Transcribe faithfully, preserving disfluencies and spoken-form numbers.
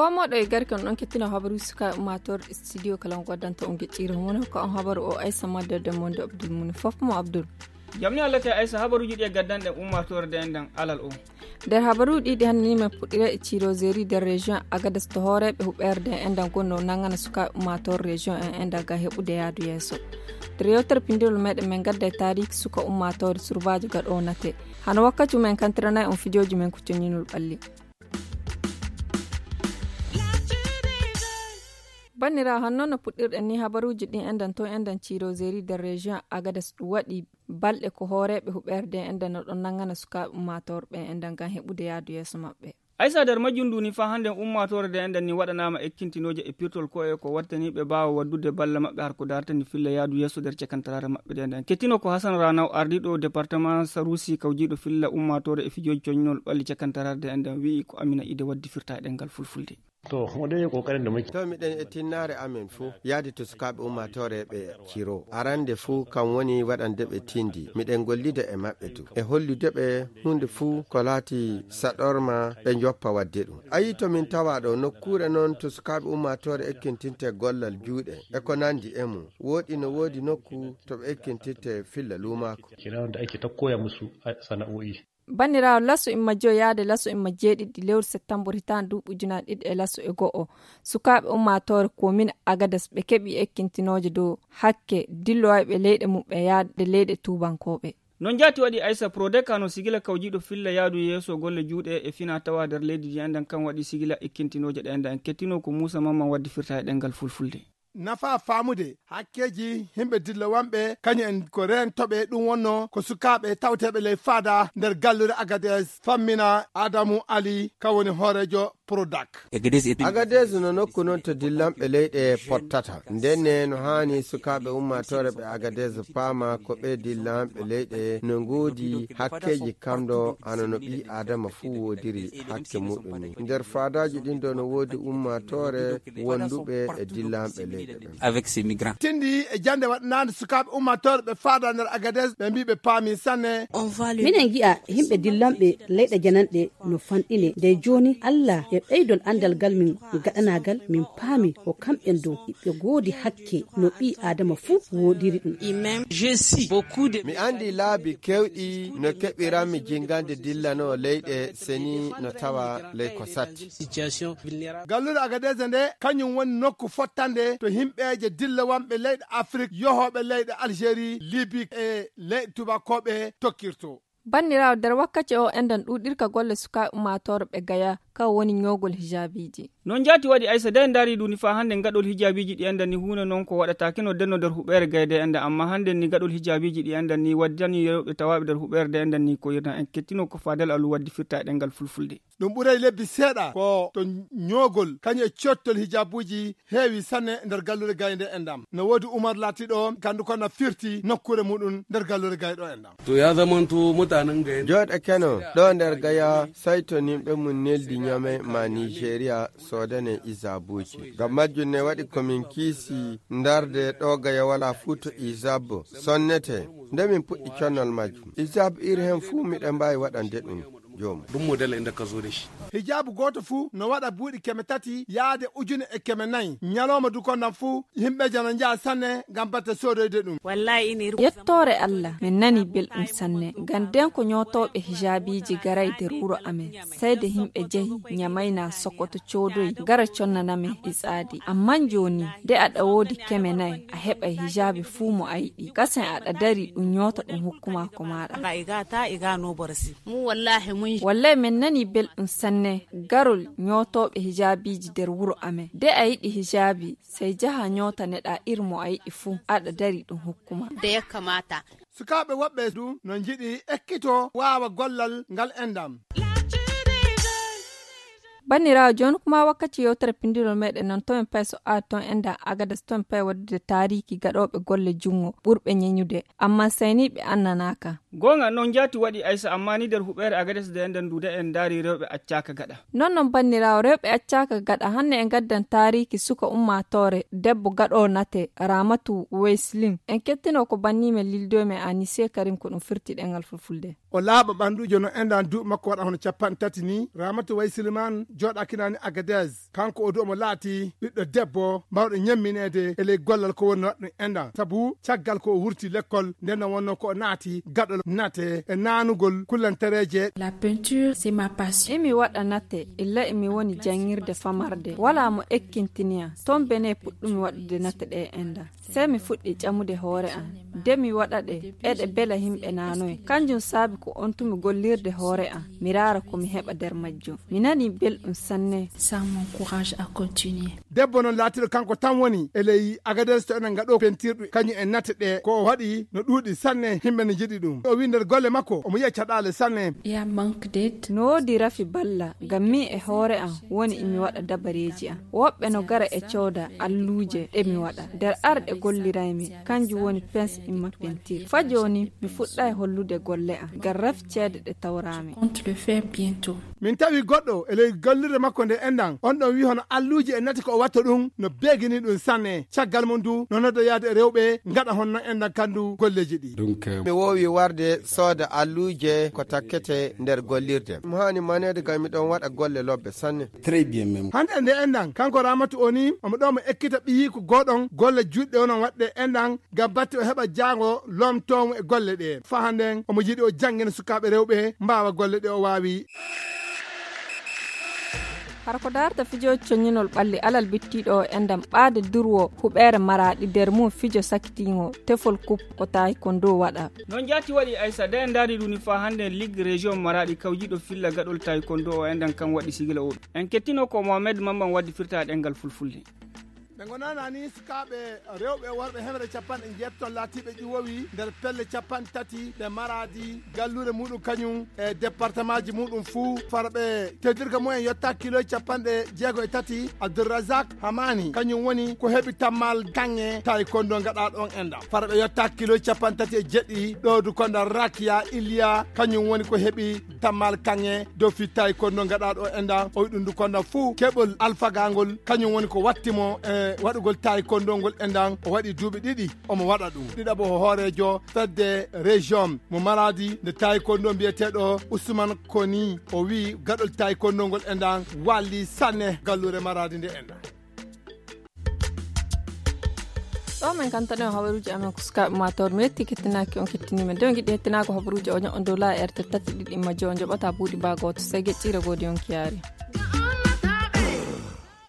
Moɗo e garke on ɗon kettino habaru suka ummator studio kala on goddanta on gecciro homono ko on habaru o aysa madda de monde abdul muni fof mo abdul. Jamni allah kay aysa habaruji ɗi e gaddanɗen ummatore de enɗan alal o. Nder habaruji ɗiɗi hannde ni men puɗɗira e ciroseri nder région agadas to hooreɓe huɓerde enɗan gonno nangana sukaɓe ummator région en enɗan ga heɓude yaadu yeeso. Nder yewtere pindirol meɗen men gadda e taariki suka ummatore surbajo gaɗo nate. Hano wakkati men kantiranay on fijoji men ko coñinol ɓalli. Banniraawo, hanno no puɗɗirɗen ni habaruuji ɗin enɗan to enɗan ciroseri nder région agadas ɗum waɗi balɗe ko hooreeɓe huɓerde enɗan no ɗon nangana sukaaɓe ummatorɓe enɗan ngam heɓude yaadu yeeso maɓɓe. Aysa nder majjum ndu ni faa hannde ummaatoore nde enɗan ni waɗanaama ekkintinooje e pirtol ko'e ko wattaniiɓe baawa waddude balla maɓɓe har ko daartani filla yaadu yeeso nder cakantaraare maɓɓe nde enɗan kettino ko hasan ranaw ardiiɗo département sarusi kawjiiɗo filla ummaatoore e fijooji coñnol ɓalli cakantaraare nde enɗan wi'i ko amina ide waddi firta e ɗemngal fulfulde. To, mo ɗon e kokarin da muke. To miɗen e tinnaare amen fuu yaadi to sukaaɓe ummaatoore ɓe ciro arande fuu kam woni waɗande ɓe tindi miɗen gollida e maɓɓe du e hollude ɓe huunde fuu ko laati saɗorma ɓe njoppa waɗde ɗum. Ayi to min tawa ɗo nokkuure noon to sukaaɓe ummaatoore ekkintinte gollal juuɗe e ko nanndi e mum woɗi no woodi nokku to ɓe ekkintinte filla luumaako. Kira wanda ake ta koya musu sana'o'i. Banniraawo laso imma joyaade laso imma jeeɗiɗi lewru septembre hitaande duuɓi ujunaaji ɗiɗi e laso e go'o sukaaɓe ummaatoore komin agadas ɓe keɓi ekkintinooje dow hakke dillowayɓe leyɗe muɓɓe yaade leyɗe tuubankooɓe. Noon jaati waɗi aysa prodek hano sigila kawjiiɗo filla yaadu yeeso golle juuɗe e fina tawa nder leydi ndi enɗan kan waɗi sigila ekkintinooje ɗe enɗan kettino ko muusa mamman waddi firta e ɗemngal fulfulde. Nafa faamude hakkeeji yimɓe dillowanɓe kañum en ko reentoɓe ɗum wonno ko sukaaɓe tawteeɓe ley faada nder gallure agades fammina adamu ali ka woni hooreejo prodac. Agades no nokku noon to dillanɓe leyɗe pottata ndenne no haani sukaaɓe ummaatoore ɓe agades paama ko ɓe dillanɓe leyɗe no ngoodi hakkeeji kamɗo hano no ɓii adama fuu woodiri hakke muɗum ni nder faadaaji ɗin ɗo no woodi ummaatoore wonduɓe e dillanɓe leyɗe ɓen. Avec ces migrants. Tindi e jannde waɗanaande sukaaɓe ummaatoore ɓe faada nder agades ɓe mbii ɓe paami sanne. Minen ngi'a yimɓe dillanɓe leyɗe jananɗe no fanɗine nde jooni allah e ɓeydol anndal ngal min gaɗanagal min paami ko kamɓen dow ɓe ngoodi hakke no ɓii aadama fuu woodiri ɗum. Mi anndi laabi kewɗi no keɓiranmi jingande dillanoo leyɗe seni no tawa ley ko satti. Galluure agadese nde kañum woni nokku fottande to yimɓeeje dillawanɓe leyɗe afrik yohooɓe leyɗe algérie libi e leyɗe tubakooɓe tokkirto. Banniraawo nder wakkati o enɗan ɗuuɗirka golle sukaaɓe ummaatoore ɓe gaya ka woni ñoogol hijaabiiji. Noon jaati waɗi aysa de ndaari ɗum ni faa hannde gaɗol hijaabiiji ɗi enɗan ni huunde noon ko waɗataake no denno nder huɓeere gayde enɗan amma hannde ni gaɗol hijaabiiji ɗi enɗan ni waddani rewɓe tawaaɓe nder huɓeere de enɗan ni ko yirna en kettino ko faadal alu waddi firta e ɗemngal fulfulde. Ɗum ɓuray lebbi seeɗa ko to ñoogol kañum e cottol hijaabuuji heewi sanne nder gallure gaynde enɗam no woodi umar laatiɗo gandu ko na firti nokkuure muɗum nder gallure gayɗo enɗam. To ya zamanto mutanen gaya jooɗe keno ɗo nder gaya saytoninɓe mum neldi ñame ma nigeria soodane isabuuji ngam majjum ne waɗi komin kiisi ndarde ɗo gaya wala fuu to isab sonnete nde min puɗɗi connol majjum isab iri hen fuu miɗen mbaawi waɗande ɗum. Joomum ɗum model e ndakka zone shi. Hijaabu gooto fuu no waɗa buuɗi keme tati yaade ujune e keme nayi ñalooma dukondan fuu yimɓeejo no njaha sanne ngam batte soodoyde ɗum. Yettoore allah min nani belɗum sanne ngam nden ko ñootooɓe hijaabiiji garay nder wuro amen. Sayde yimɓe jehi ñamayna sokoto coodoyi gara connanamen ɗi tsaadi amma jooni nde aɗa woodi keme nayi a heɓay hijaabi fuu mo a yiɗi kasen aɗa dari ɗum ñoota ɗum hokkuma ko maaɗa. Wallay min nani belɗum sanne garol ñootooɓe hijaabiiji nder wuro amen de a yiɗi hijaabi sey jaha ñootaneɗa ir mo a yiɗi fuu aɗa dari ɗum hokkuma. Sukaaɓe woɓɓe du no njiɗi ekkito waawa gollal ngal enɗam. Banniraawo jooni kuma wakkati yewtere pindirol meɗen noon tomin pay so aari toon enɗam agadas tomin pay waddude taariki gaɗooɓe golle junngo ɓurɓe ñeñude amma sayniiɓe annanaaka. Goonga noon jaati waɗi aysa amma ni nder huɓeere agades de enɗan duude en ndaari rewɓe accaaka gaɗa. Noon noon banniraawo rewɓe accaaka gaɗa hanne e ngaddan taariki suka ummaatoore debbo gaɗo nate ramatu wayslin en kettino ko bannimen lildoymen anise karim ko ɗum firti ɗengal fulfulde. o laaɓa ɓannduujo no enɗan duuɓi makko waɗa hono capanɗe tati ni. Ramatu Way Siliman jooɗakinani Agadez. Kanko o du omo laati ɓiɗɗo debbo mawɗo ñemmineede e ley gollal ko woni waɗ ɗum enɗan. Sabu caggal ko o wurti lekkol nden no wonno ko o naati gaɗol nate e naanugol kullantereeje. La peinture, c'est ma passion. Imi waɗa nate, illa imi woni janngirde famarde. Walaa mo ekkintiniyam. Toon Bene puɗɗumi waɗude nate ɗe enɗan. Sey mi fuɗɗi ƴamude hoore am. De mi waɗa ɗe, eɗe bela yimɓe naanoy. Kanjum saabi ko on tumi gollirde hoore am. Mi raara ko mi heɓa nder majjum. Mi nani belɗum sanne. Ça m'encourage à continuer. Debbo noon laatiɗo kanko tan woni e ley Agadez to enen ngaɗo pentirɗum kañum e nate ɗe. Ko o waɗi no ɗuuɗi sanne, yimɓe no njiɗi ɗum. O wi nder golle makko, omo yiya caɗaale sanne. Il y a manque d'aide. No woodi rafi balla, ngam min e hoore am woni imi waɗa dabareeji am. Woɓɓe no gara e cooda alluuje ɗe mi waɗa. Nder arɗe golliraymi, kanjum woni pens imma pentir. Fa jooni, mi fuɗɗay hollude golle am, ngam rafi ceede ɗe tawraami. Compte le faire bientôt. Min tawi goɗɗo e ley gollirde makko nde enɗan. On ɗon wi hono alluuje e nate ko o watta ɗum, no beegini ɗum sanne. Caggal mum du, no nodda yaade e rewɓe, ngaɗa honno enɗan kandu golleeji ɗi. Donc, euh, mi woowi warde sooda alluuje ko takkete nder gollirde. Mi haani maneede ngam miɗon waɗa golle lobbe sanne. Très bien même. Hannde nde enɗan, kanko Ramatu o ni, omo ɗo mo ekkita ɓiyiiko gooɗon golle juuɗe onon waɗde enɗan, ngam batte o heɓa jaango loomtoomo e golle ɗe. Fa hannden, omo yiɗi o janngina sukaaɓe rewɓe mbaawa golle ɗe o waawi. Hara ko darta fijooji coññinol ɓalli alal bittiiɗo o enɗan ɓaade durwo huɓeere Maraaɗi nder mum fijo sakitiingo tefol kup ko taekwondo waɗa. Noon jaati waɗi Aysa, de en ndaari ɗum ni faa hannde Ligue Région Maraaɗi kawjiiɗo filla gaɗol taekwondo o enɗan kan waɗi sigila o. En kettino ko Mohamed Mamman waddi firta ɗemngal fulfulde. Ɓe ngonana ni sukaaɓe rewɓe e worɓe hemre capanɗe njeetto laatiiɓe ƴuwowi nder pelle capanɗe tati ɗe Maraaɗi galluure muɗum kañum e départementji muɗum fuu. Farɓe teddirka mumen yotta kilo capanɗe jeego e tati. Abdourazak Hamani kañum woni ko heɓi tammal kaŋŋe taekwondo ngaɗaaɗo on enɗan. Farɓe yotta kilo capanɗe tati e jeɗɗi ɗo du konda Rakia Iliya kañum woni ko heɓi tammal kaŋŋe dow fi taekwondo ngaɗaaɗo o enɗan. O wi ɗum du konda fuu keɓol alfagangol kañum woni ko watti mo e waɗugol taekwondo ngol enɗan. O waɗi duuɓi ɗiɗi omo waɗa ɗum. Ɗiɗaɓo ko hooreejo fedde région mo Maradi nde taekwondo mbiyeteeɗo Ousmane Koni. O wi gaɗol taekwondo ngol enɗan walli sanne galluure Maradi nde enɗan. Ɗo min kantani on habaruuji amen ko sukaaɓe maa tawde mi yetti kettinaaki on kettiniima. Nde on ngiɗi hettinaako habaruuji o ño'on dow laa erte tati ɗiɗi imma jowo njoɓata buuɗi baa gooto sey geƴƴiire goodi on kiyaari.